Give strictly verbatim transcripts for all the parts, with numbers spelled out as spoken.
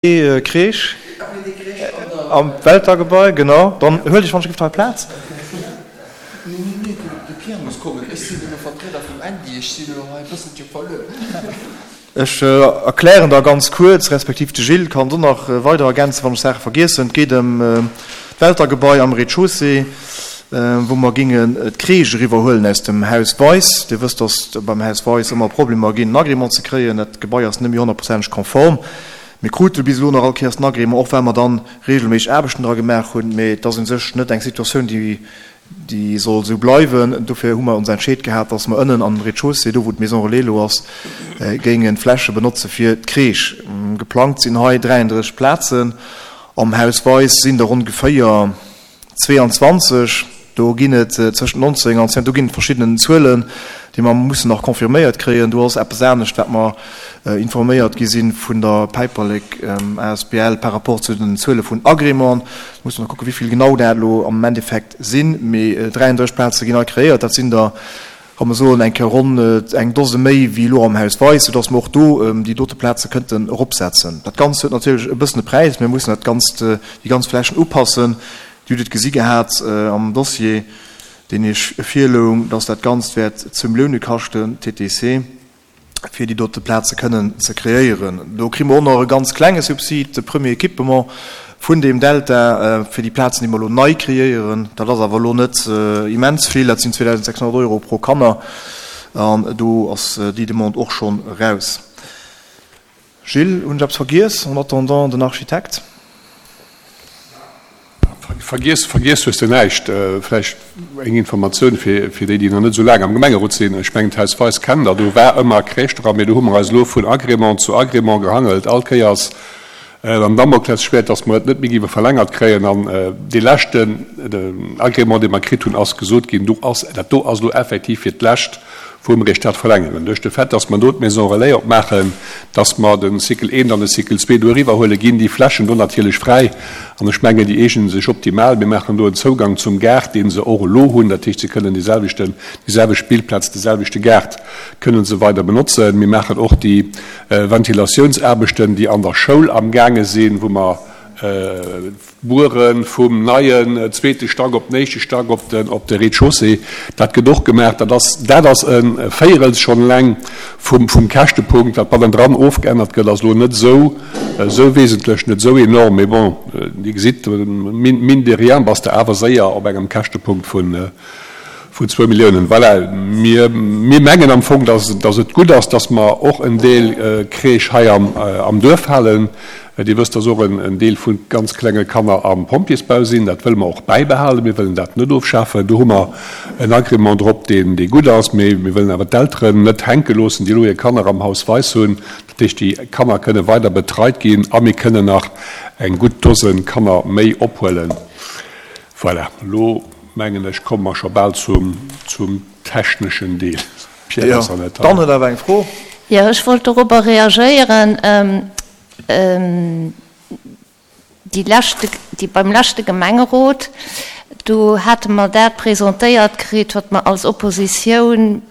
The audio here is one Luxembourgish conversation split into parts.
Crèche am Welter-Gebai, genau. Dann huel dech wann ech giff hei Plaz. Nee, nee, nee, de Pierre muss kommen. Ech sinn elo Vertrieder vum Andy, ech sinn elo hei e bësselche verluer. Ech erklären da ganz kuerz, respektiv de Gilles kann do nach weider ergänzen, wann ech Saache vergiessen. Et geet ëm d'Welter-Gebai am Rez-de-chaussée, wou mer gingen d'Crèche eriwwerhuelen aus dem Haus Weis. Dir wësst, dass beim Haus Weis ëmmer Problemer ginn, en Agrément ze kréien. Dat Gebai ass net méi honnertprozenteg konform. Mir krute bis elo nach all Kéiers den Agrément, och well mer dann regelméisseg Aarbechten dra gemaach hunn. Mee et ass u sech net eng Situatioun, déi, déi soll esou bleiwen. Dofir hu mer ons entscheet gehat, dass mer ënnen am Rez-de-chaussée, do wou d'Maison Relais elo ass, géingen d'Fläche benotze fir d'Crèche. Geplangt sinn hei dräianddrësseg Plazen. Am Haus Weis sinn der ongeféier zweeanzwanzeg. Do ginn et zwëschent nonzéng an zéng, do ginn et verschiddenen Zuelen, déi mer mussen nach confirméiert kréien. Do ass eppes anescht, wat mer informéiert gi si vun der Päiperlek asbl par rapport zu den Zuele vun Agrémenten. Do musse mer kucken, wéi vill genau dat elo am Endeffekt sinn. Mee dräianddrësseg Plaze ginn hei kreéiert. Dat sinn der, ka mer soen, eng Kéier ronn eng Dose méi wéi elo am Haus Weis, soudass mer och do déi dote Plaze kënnten eropsetzen. Dat Ganzt huet natierlech e bëssen e Präis. Mir mussen dat Ganzt, déi ganz Flächen upassen. Dir hutt et gesi gehat am Dossier, deen Iech virloung, dass dat Ganzt wäert zwou Millioune kaschten, T T C, fir déi dote Plaze kënnen ze kreéieren. Do kri mer och nach e ganz klenge Subsid, de Premier Équipement vun deem Delta, fir déi Plazen, déi mer elo nei kreéieren. Dat ass awer elo net immens vill, dat sinn zweedausendsechshonnert Euro pro Kanner, an do ass déi Demande och schonn eraus. Gilles, hunn ech eppes vergiess, en attendant den Architekt? Vergiess, vergiess hues de näischt. Vläicht eng Informatioun fir, fir déi, déi nach net esou laang am Gemengerot sinn. Ech mengen, d'Haus Weis kennt Der. Do war ëmmer Crèche dran, mee do hu mer eis elo vun Agrément zu Agrément gehangelt. All Kéiers am Damoklesschwäert, dass mer et net méi géife verlängert kréien. An dee leschten Agrément, dee mer kritt hunn, ass gesot ginn, do ass, dat do ass elo effektiv fir d'lescht, wou mer iech dat verlängeren. Duerch de Fait, dass mer do d'Maison Relais opmaachen, dass mer de Cycle eent an de Cycle zwee do eriwwerhuelen, ginn déi Flächen do natierlech fräi. An ech mengen, déi eegene sech optimal. Mir maachen do en Zougang zum Gaart, dee se och elo hunn. Dat heescht, se kënnen déi selwechten, déi selwecht Spillplaz, de selwechte Gaart kënnen se weider benotzen. Mir maachen och déi Ventilatiounsaarbechten, déi an der Schoul amgaange sinn, wou mer buere vum neien zweete Stack op den éischte Stack op den op de Rez-de-chaussée. Dat gëtt och gemaach. Dat ass dat ass e Véierels schonn eleng vum vum Käschtepunkt. Wat bannendran ofgeännert gëtt, ass elo net esou esou wesentlech, net esou enorm. Mee bon, Dir gesitt, mine de rien bass de awer séier op engem Käschtepunkt vun vun zwou Milliounen. Voilà, mir mir mengen am Fong, dass dass et gutt ass, dass mer och en Deel Crèche hei am am Duerf halen. Dir wësst, dass och en Deel vu ganz klenge Kanner am Pompjeesbau sinn. Dat wëlle mer och bäibehalen. Mir wëllen dat net ofschafen. Do hu mer en Agrément drop, deen dee gutt ass. Mee mir wëllen awer d'Elteren net hänke loossen, déi elo hir Kanner am Haus Weis hunn. Dat heescht, déi Kanner kënne weider betreit ginn a mir kënnen nach eng gutt Dose Kanner méi ophuelen. Voilà, elo mengen ech, komme mer scho bal zum zum techneschen Deel. Pierre ass an der Dann huet awer eng Fro. Jo, ech wollt dorobber reagéieren. Déi leschte, déi beim leschte Gemengerot, do hate mer dat presentéiert kritt, wat mer als Oppositioun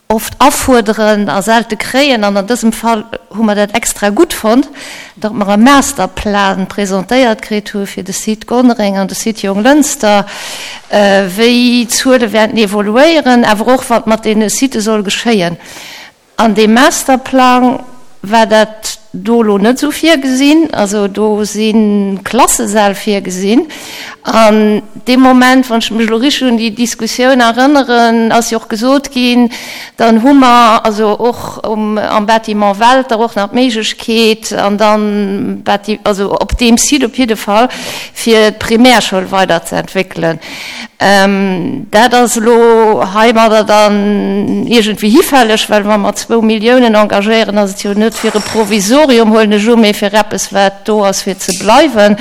oft afuerderen a selte kréien, an an dësem Fall hu mer dat extra gutt fonnt, datt mer e Masterplan presentéiert kritt hu fir de Site Gonnereng an de Site Jonglënster, wéi d'Zuele wäerten evoluéieren, awer och wat mat deene Sitë soll geschéien. An deem Masterplang war dat do elo net esou virgesinn. Also do si Klassesäll virgesinn. An dee Moment, wann ech mech elo richteg un déi Diskussioun erënneren, ass jo och gesot ginn, dann hu mer also och um, am Bâtiment Welter och nach d'Méiglechkeet an dann, also op deem Site op jidde Fall, fir d'Primärschoul weiderzeentwéckelen. Dat ass elo heimadder dann iergendwéi hifälleg, well wa mer zwou Milliounen engagéieren, ass et jo net fir e Provisorium, huelen ech u, mee fir eppes, wat do ass fir ze bleiwen.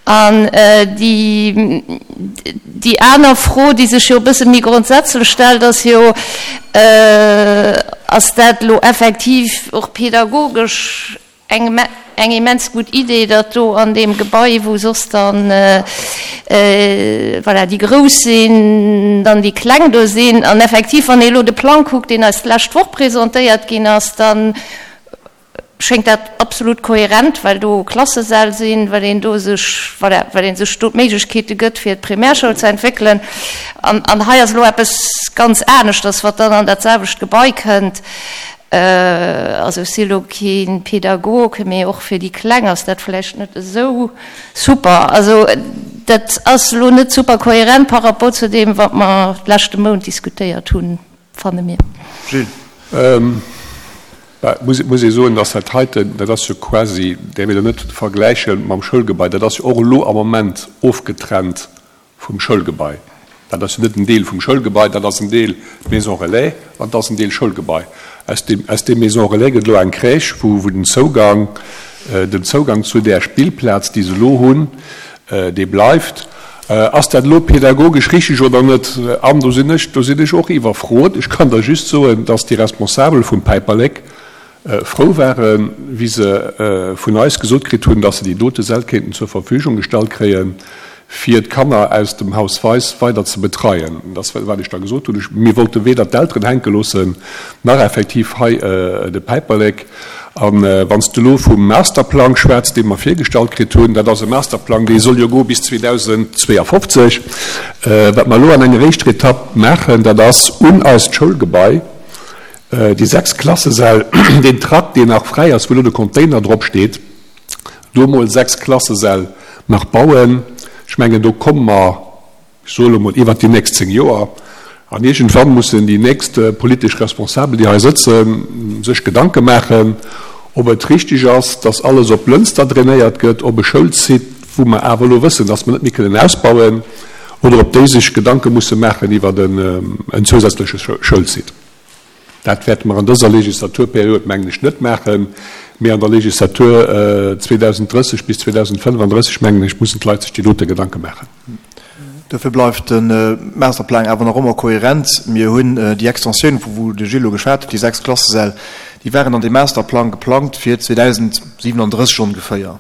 An déi, déi aner Fro, déi sech jo e bësse méi grondsätzlech stellt, ass jo, Ass dat elo effektiv och pedagogesch eng eng immens gutt Idee, datt do an deem Gebai, wou soss dann, voilà, déi Grouss sinn, dann déi Kleng do sinn? An effektiv, wann ee elo de Plang kuckt, deen eis d'lescht Woch presentéiert ginn ass, dann schéngt dat absolut kohärent, well do Klassesäll sinn, well een do sech, voilà, well ee sech do d'Méiglechkeete gëtt, fir d'Primärschoul ze entwéckelen. An, an hei ass elo eppes ganz aneschters, wat dann an dat selwecht Gebai kënnt. Also ech si elo kee Pädagog, mee och fir déi Kleng ass dat vläicht net esou super. Also dat ass elo net super kohärent par rapport zu deem, wat mer d'leschte Mount diskutéiert hunn, fanne mir. Gilles. Bah, muss, muss ee soen, dass dat heiten, dat ass jo quasi, däerf een elo net vergläiche mam Schoulgebai, dat ass jo och elo am Moment ofgetrennt vum Schoulgebai. Dat ass jo net en Deel vum Schoulgebai, dat ass en Deel Maison relais an dat ass en Deel Schoulgebai. Aus deem, aus deem Maison relais gëtt elo eng Crèche, wou, wou den Zougang, den Zougang zu där Spillplaz, déi se elo hunn, dee bleift. Ass dat elo pädagogesch richtig oder net? An do sinn ech, do sinn ech och iwwerfrot. Ech kann der just soen, dass déi Responsabel vum Päiperlek frou waren, wéi se vun eis gesot kritt hunn, dass se déi dote Säll kéinten zur Verfügung gestallt kréien, fir d'Kanner aus dem Haus Weis weider ze betreien. Dat ass, wat ech da gesot hunn. Ech, mir wollte weder d'Elteren hänke loossen, nach effektiv hei de Päiperlek. A wann s de elo vum Masterplang schwätz, dee mer virgestallt kritt hunn, dat ass e Masterplang, dee soll jo goe bis zweedausendzweeafofzeg. Wat mer elo an enger éischter Etapp maachen, dat ass un eist Schoulgebai déi sechs Klassesäll, deen Trakt, deen nach fräi ass, wou elo de Container drop steet, do emol sechs Klassesäll nach bauen. Ech mengen, do komme mer, ech soe elo emol, iwwert déi nächst zéng Joer. An iergendwann mussen déi nächst politesch Responsabel, déi hei sëtzen, sech Gedanke maachen, ob et richtig ass, dass alles op Lënster drainéiert gëtt, op e Schoulsite, wou mer awer elo wëssen, dass mer net méi kënnen ausbauen, oder ob déi sech Gedanke musse maachen iwwer en zousätzleche Schoulsite. Dat wäerte mer an dëser Legislaturperiod, mengen ech, net maachen, mee an der Legislatur zweedausenddrësseg bis zweedausendfënnefandrësseg, mengen ech, mussen d'Leit sech déi dote Gedanke maachen. Dofir bleift de Masterplang awer nach ëmmer kohärent. Mir hunn déi Extensioun, vu wou de Gilles elo geschwat huet, déi sechs Klassesäll, déi waren an deem Masterplang geplangt fir zweedausendsiewenunddrësseg ongeféier.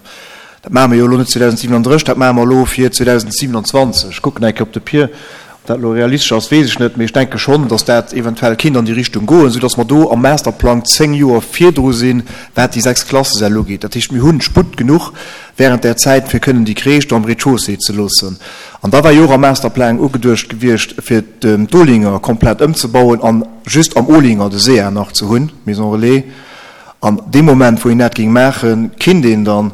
Dat maache mer jo elo net zweedausendsiewenunddrësseg, dat maache mer elo fir zweedausendsiewenundzwanzeg. Ech kucken eng Kéier op de Pir. Ob dat elo realistesch ass, weess ech net, mee ech denke schonn, datt dat eventuell kinnt an déi Richtung goen, soudatt mer do am Masterplang zéng Joer virdru sinn, wat déi sechs Klassesäll ugeet. Dat heescht, mir hunn Sputt genuch während där Zäit, fir kënnen déi Crèche do am Rez-de-chaussée ze loossen. An da war jo och am Masterplang ugeduecht gewiescht, fir d'Olinger komplett ëmzebauen an just am Olinger de SEA nach ze hunn, d'Maison relais. An dee Moment, wou een dat géing maachen, kinnt een dann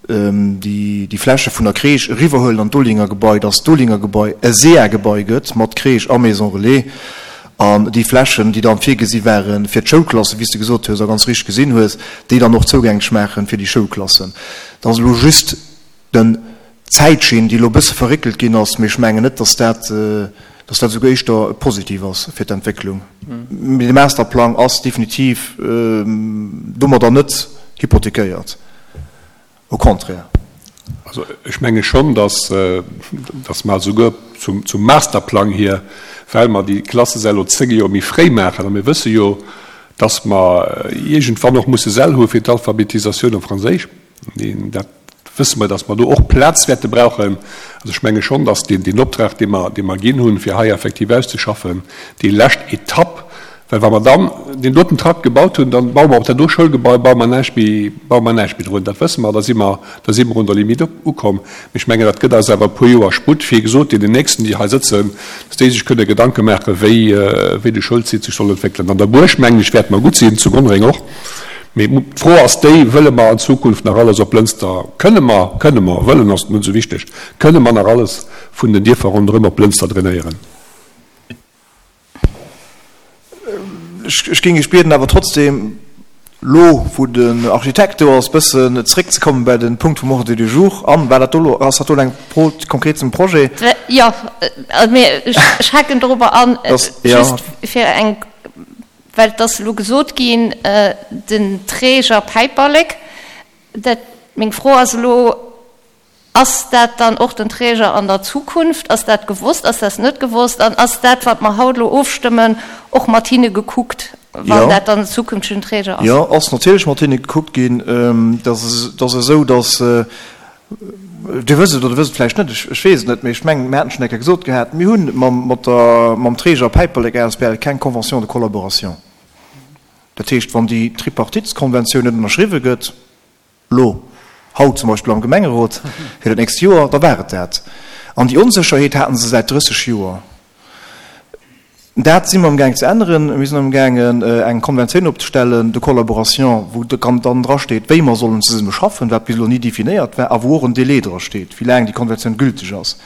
déi Fläche vun der Crèche eriwwerhuelen an d'Olinger Gebai, dass d'Olinger Gebai e SEA-Gebai gëtt mat Crèche a Maison relais an déi Flächen, déi dann virgesi ware fir d'Schoulklassen, wéi s de gesot hues a ganz richteg gesinn hues, déi dann och zougänglech maache fir déi Schoulklassen. Dat ass elo just den d'Zäitschinn, déi elo e bësse verréckelt ginn ass, mee ech mengen net, dass dat, dass dat esouguer éischter positiv ass fir d'Entwécklung. Mee de Masterplang ass definitiv domadder net hypothekéiert, au contraire. Also ech menge schonn, dass, dass mer esouguer zum, zum Masterplang hier, well mer déi Klassesäll elo zéng Joer méi fréi maachen, a mir wësse jo, dass mer iergendwann och musse Säll hu fir d'Alphabetisatioun op Franséisch, dat wësse mer, dass mer do och Plaz wäerte brauchen. Also ech menge schonn, dass deen, deen Optrag, dee mer, dee mer ginn hunn, fir hei effektiv auszeschaffen, déi lescht Etapp, well wa mer dann deen doten Trakt gebaut hunn, dann baue mer op dat do Schoulgebai baue mer näischt méi, baue mer näischt méi drun. Dat wësse mer, da si mer, da si mer un der Limite ukomm. Mee ech mengen, dat gëtt eis awer e puer Joer Sputt, fir, wéi gesot, deenen Nächsten, déi hei sëtzen, dass déi sech kënne Gedanke maachen, wéi, wéi de Schoulsite sech soll entwéckelen. An der Buerg, mengen ech, wäerte mer gutt sinn, zu Gonnereng och. Mee d'Fro ass déi, Wëlle mer an Zukunft nach alles op Lënster, kënne mer, kënne mer, wëllen ass net esou wichteg, kënne mer nach alles vun den Dierfer ronderëm op Lënster drainéieren? Ech géing Iech bieden, awer trotzdem, elo wou den Architekt do ass, bëssen zeréckzekommen bei de Punkt vum Ordre du jour. Anne, war dat do elo, ass dat do elo eng Fro konkret zum Projet? Jo, mee ech haken dorobber an, just fir eng. Well et ass elo gesot ginn, den Träger Päiperlek. Dat, meng Fro ass elo, Ass dat dann och den Träger an der Zukunft? Ass dat gewosst, ass dat net gewosst? An ass dat, wat mer haut elo ofstëmmen, och mat hinne gekuckt, wann dat dann en zukünftegen Träger ass? Jo, ass natierlech mat hinne gekuckt ginn. Dat ass esou, datt Dir wësst et oder wësst et vläicht net, ech weess et net, mee ech mengen, mir haten et schonn eng Kéier gesot gehat, mir hu mam, mat der, mam Träger Päiperlek asbl keng Convention de collaboration. Dat heescht, wann déi Tripartitskonventioun net ënnerschriwwe gëtt, elo, haut zum Beispill am Gemengerot, fir dat nächst Joer, da war et dat. An déi Onsécherheet haten se säit drësseg Joer. Dat si mer amgaang ze änneren. Mir sinn amgaangen, eng Konventioun opzestellen de collaboration, wou dann drasteet, wéi mer sollen zesumme schaffen, wat bis elo ni definéiert war, a wou och en Délai drasteet, wéi laang déi Konventioun gülteg ass.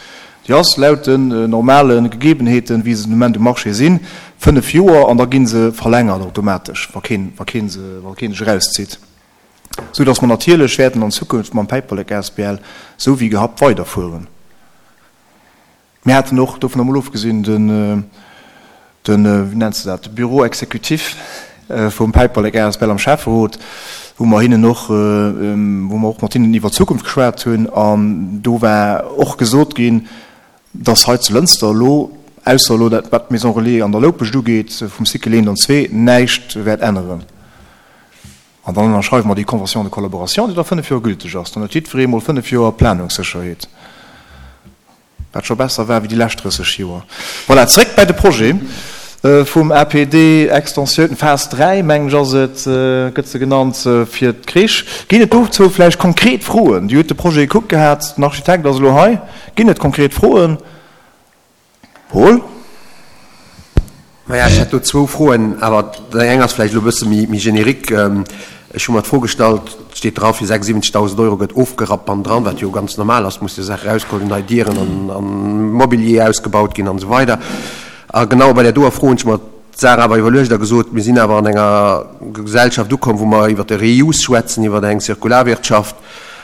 Déi ass laut den normale Gegebenheeten, wéi se den Moment um Marché sinn, fënnef Joer, an da gi se verlängert automatesch, wa keen, wa keen se, wa keen sech erauszitt. Sou dass mer natierlech wäerten an Zukunft mam Päiperlek asbl sou wéi gehabt weiderfueren. Mir haten och, dovun emol ofgesinn, den, den, wéi nennt se dat, de Bureau exécutif vum Päiperlek asbl am Schäfferot, wou mer hinnen och, wou mer och mat hinnen iwwer d'Zukunft geschwat hunn, an do war och gesot ginn, dass hei zu Lënster elo, ausser elo dat, wat d'Maison relais an der Loupescht ugeet, vum Cycle eent an zwee, näischt wäert änneren. An dann ënnerschreiwe mer déi Convention de collaboration, déi da fënnef Joer gülteg ass. Dann huet jiddweree mol fënnef Joer Planungssécherheet, wat scho besser war wéi déi lescht drësseg Joer. Voilà, zréck bäi de Projet vum A P D, Extensioun, Phas dräi, mengen ech ass et, gëtt se genannt, fir d'Crèche. Ginn et dozou vläicht konkret Froen? Dir hutt de Projet gekuckt gehat, den Architekt ass elo hei. Ginn et konkret Froen? Paul? Maja, ech hätt do zwou Froen, awer déi eng ass vläicht elo e bësse méi générique. Ech hu mer d'Fro gestallt, et steet dra fir sechsundsiwwenzegtausend Euro gëtt ofgerappt bannendran, wat jo ganz normal ass, muss jo Saache erausgeholl ginn, nei Dieren an Mobilier ausgebaut ginn an esou weider. A genau bei där doer Fro hunn ech mer d'Saach awer iwwerluecht a gesot, mir sinn awer an enger Gesellschaft ukomm, wou mer iwwert de Reuse schwätzen, iwwert eng Zirkularwirtschaft.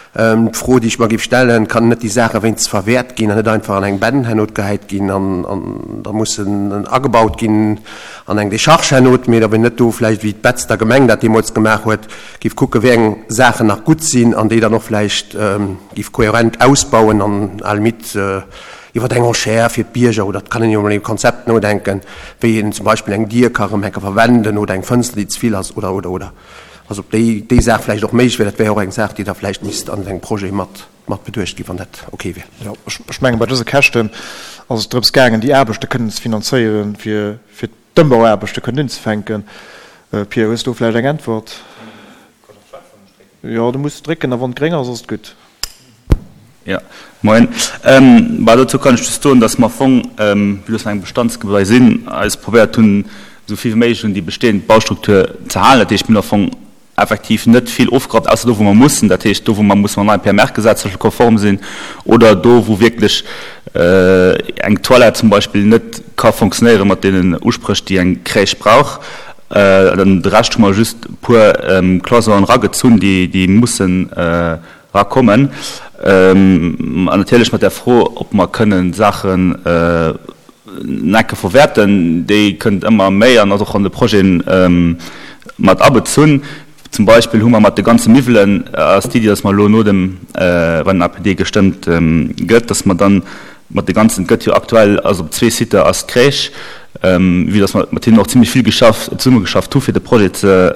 D'Fro, déi ech mer géif stellen, Kann net déi Saach wéinstens verwäert ginn an net einfach an eng Benn hernot gehäit ginn an da mussen agebaut ginn an eng Decharge hernot, mee ob een net do vläicht, wéi d'Betzder Gemeng dat deemools gemaach huet, géif kucken, wéi eng Saachen nach gutt sinn an déi dann och vläicht géif kohärent ausbauen an à la limite iwwer eng Enchère fir d'Bierger, oder et kann een jo emol iwwer e Konzept nodenken, wéi een zum Beispill eng Dier ka rëm enke verwenden oder eng Fënster, déi ze vill ass, oder, oder, oder. Also ob déi, déi Saach vläicht och méiglech wär, dat wär och eng Saach, déi da vläicht misst an engem Projet mat, mat beduecht ginn, wann dat ok wär. Jo, ech, ech mengen, bei dëse Käschten ass et drëms gaangen, déi Aarbechte kënnen ze finanzéieren, fir, fir d'Ëmbauaarbechte kënnen unzefänken. Pierre, hues du vläicht eng Äntwert? Jo, du muss drécken, a wann et gréng ass, ass et gutt. Jo, moien. Bah, dozou kann ech just soen, dass mer am Fong, vue dass mer engem Bestandsgebai sinn, eis probéiert hunn, esou vill wéi méiglech un déi bestehend Baustruktur ze halen. Dat heescht, mir hunn am Fong effektiv net vill ofgerappt, ausser do, wou mer mussen. Dat heescht, do, wou mer musse mam neie P M R-Gesetz zum Beispill konform sinn oder do, wou wierklech eng Toilette zum Beispill net ka fonctionnéiere mat deenen Uspréch, déi eng Crèche brauch. Dann de Rescht hu mer just e puer Cloison'en eragezunn, déi mussen erakommen. An natierlech mat der Fro, ob mer kënnen Saachen Necke verwäerten, déi kënnt ëmmer méi an ass och an de Projeten mat abezunn. Zum Beispill hu mer mat de ganze Miwwelen, ass d'Iddi, dass mer elo no dem, wann den A P D gestëmmt gëtt, dass mer dann mat de ganzen, et gëtt jo aktuell, ass op zwee Sites ass d'Crèche, vue dass mer mat hinnen och zimlech vill geschafft, zesummegeschafft hu fir de Projet ze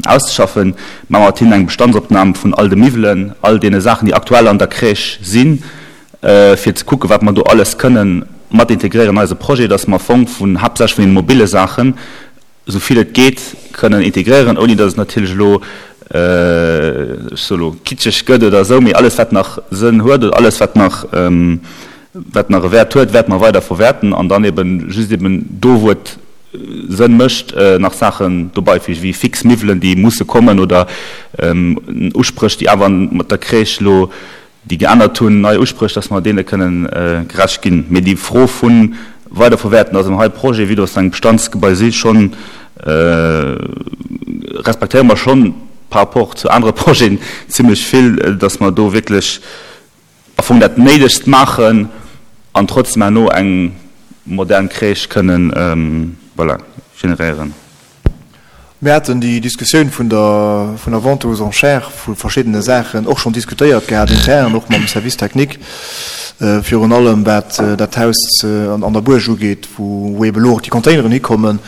auszeschaffen, maache mer mat hinnen eng Bestandsopnam vun all de Miwwelen, all deene Saachen, déi aktuell an der Crèche sinn, fir ze kucken, wat mer do alles kënnen mat integréieren an eise Projet, dass mer am Fong vun, haaptsächlech vun deene mobile Saachen, esou vill et geet, kënnen integréieren, ouni dass et natierlech elo, ech soe elo, kitscheg gëtt oder esou, mee alles, wat nach Sënn huet oder alles, wat nach, wat nach e Wäert huet, wäerte mer weider verwäerten an dann eben just eben do, wou et Sënn mécht, nach Saachen dobeifügen, wéi fix Miwwelen, déi musse kommen oder Uspréch, déi awer mat der Crèche elo déi geännert hunn, nei Uspréch, dass mer deene kënnen gerecht ginn. Mee déi Fro vu weiderverwäerten ass am hei Projet, vue dass et engem Bestandsgebai si, schonn, respektéiere mer schonn par rapport zu anere Projeten zimlech vill, dass mer do wierklech am Fong dat Néidegst maachen an trotzdem herno eng modern Crèche kënnen, voilà, generéieren. Mir haten déi Diskussioun vun der vun der Vente aux enchères vu verschiddene Saachen och schonn diskutéiert gehat intern, och mam Service technique, virun allem wat dat Haus an der Buerg ugeet, wou eeben elo och déi Containeren hikommen.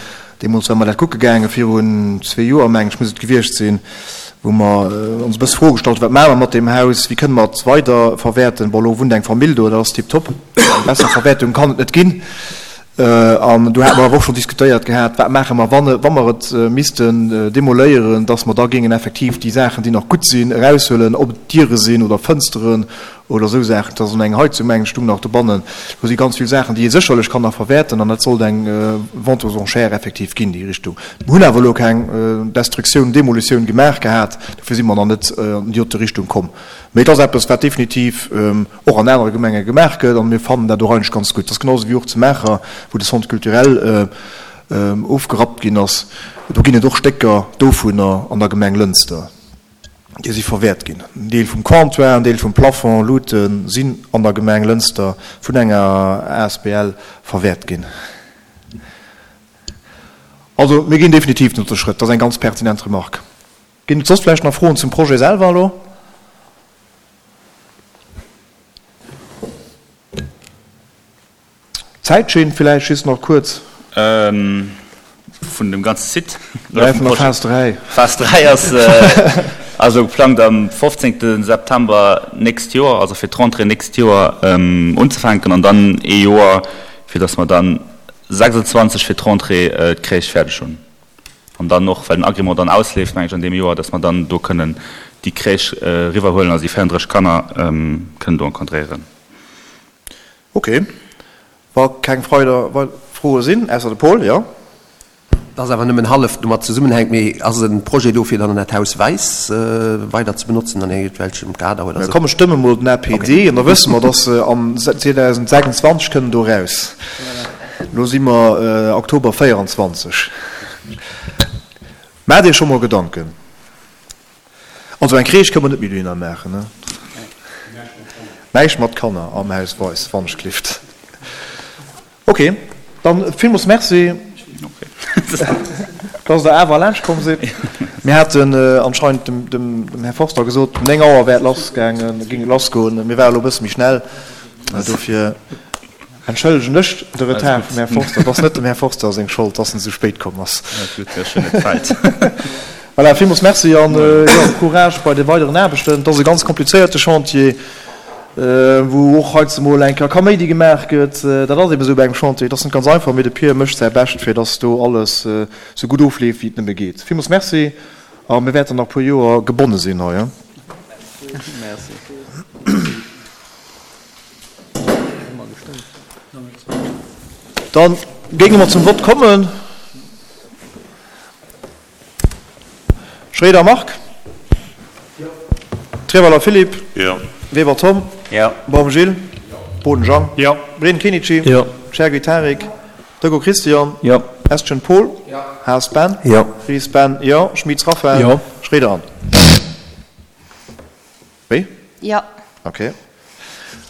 Deemools ware mer dat kucke gaange virun zwee Joer, mengen ech, muss et gewiescht sinn, wou mer ons e bësse Froe gestallt hunn, Wat maache mer mat deem Haus? Wéi kënne mer et weiderverwäerten? Bon, elo wunnt eng Famill do, dat ass tiptop. Eng besser Verwäertung kann et net ginn. An do hate mer awer och schonn diskutéiert gehat, wat maache mer, wann, wa mer et missten demoléieren, dass mer da géingen effektiv déi Saachen, déi nach gutt sinn, eraushuelen, ob et Diere sinn oder Fënsteren oder esou Saachen. Et ass an eng Heizung, mengen ech, stung nach dobannen. Do si ganz vill Saachen, déi ee sécherlech kann nach verwäerten an dat sollt eng Vente aux enchères effektiv ginn, déi Richtung. Mer hunn awer elo keng Destruktioun, Demolitioun gemaach gehat, dofir si mer nach net an déi dote Richtung komm. Mee et ass eppes, wat definitiv och an anere Gemenge gemaach gëtt, a mir fannen dat och eigentlech ganz gutt. Et ass genau esou wéi och zu Maacher, wou de Centre culturel ofgerappt ginn ass. Do ginn et och Stécker dovunner an der Gemeng Lënster, déi si verwäert ginn. En Deel vum Comptoir, en Deel vum Plafond, Luute sinn an der Gemeng Lënster vun enger asbl verwäert ginn. Also mir ginn definitiv den dote Schrëtt. Dat ass eng ganz pertinent Remarque. Ginn et soss vläicht nach Froen zum Projet selwer elo? D'Zäitschinn villäicht just nach kuerz. Vun dem ganze Site? Oder vun der Phas dräi? Phas dräi ass also geplangt am fofzéngte September nächst Joer, also fir d'Rentrée nächst Joer unzefänken an dann ee Joer, fir datt mer dann sechsundzwanzeg fir d'Rentrée d'Crèche fäerdeg hunn. An dann och, well den Agrément dann ausleeft, meng ech, an deem Joer, dass mer dann do kënnen déi Crèche eriwwerhuelen, also déi véierunddrësseg Kanner kënnen do encadréieren. Ok. Wa keng weider Froe sinn, ausser de Paul, jo? Dat ass awer nëmmen hallef domat zesummenhänkt, mee ass e Projet do, fir dann dat Haus Weis weider ze benotzen an iergendwelchem Kader oder esou? Komm, ech stëmme mol den A P D an da wësse mer, dass se am zweedausendsechsundzwanzeg kënnen do eraus. Elo si mer Oktober véierundzwanzeg. Maacht Iech scho mol Gedanken. Also eng Crèche kënne mer net méi dohinner maachen, ne? Näischt mat Kanner am Haus Weis, wannechgelift. Ok, dann villmools Merci, dass Der awer laanscht komm sidd. Mir haten anscheinend dem Här Forster gesot, néng Auer wär et lassgaangen, géing et lassgoen. Mir ware elo e bësse méi schnell, dofir entschëllegen ech de Retard vum Här Forster. Et ass net dem Här Forster seng Schold, dass en esou spéit komm ass. Voilà, villmools Merci an jo, Courage bei de weideren Aarbechten. Et ass e ganz komplizéierte Chantier, wou och heiansdo mol eng Kéier Kaméidi gemaach gëtt. Dat ass eben esou bei engem Chantier. Et ass net ganz einfach, mee de Pir mécht säi Bescht, fir dass do alles esou gutt ofleeft, wéi et nëmme geet. Villmools Merci a mir wäerten nach e puer Joer gebonne sinn hei. Da géinge mer zum Vott kommen. Schroeder Marc. Treweiler Philippe. Weber Tom. Baum Gilles. Boden Jang. Breen Kenichi. Chergui Tarik. Decaux Christian. Estgen Paul. Haas Ben. Ries Ben, jo. Schmitz Raphaël. Schroeder Anne. Wéi? Jo. Ok.